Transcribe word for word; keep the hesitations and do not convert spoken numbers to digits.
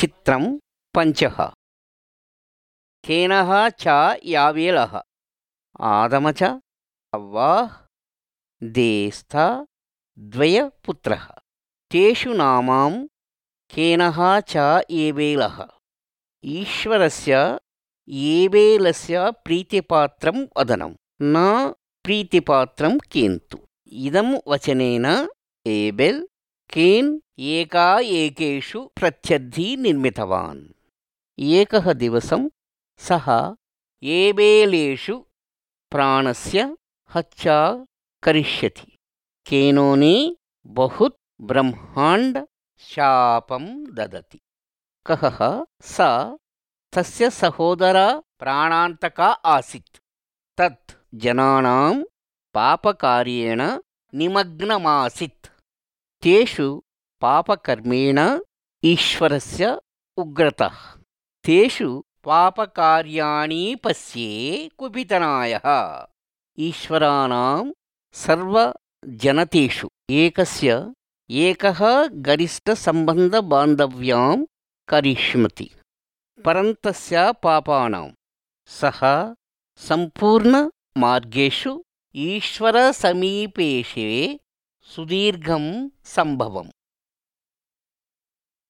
चित्रं पञ्चः केनः च यावेलः आदम च हव्वा देस्था द्वयपुत्रः तेषु नामां केनः च एवेलः ईश्वरस्य एवेलस्य प्रीतिपात्रं वदनं न प्रीतिपात्रं केन्तु इदं वचनेन एबेल् केन् एका एकेषु प्रत्यर्थी निर्मितवान् एकः दिवसं सः एबेलेषु प्राणस्य हत्या करिष्यति केनोनि बहुत् ब्रह्माण्ड शापं ददति कः स तस्य सहोदरा प्राणान्तका आसीत् तत् जनानां पापकार्येण निमग्नमासीत् तेषु पापकर्मेण ईश्वरस्य उग्रता तेषु पापकार्याणि पश्ये कुपितनायः ईश्वराणां सर्वजनतेषु एकस्य एकः गरिष्ठसम्बन्धबान्धव्यां करिष्यति परन्तस्य पापानां सः सम्पूर्णमार्गेषु ईश्वरसमीपेषे सुदीर्घं सम्भवम्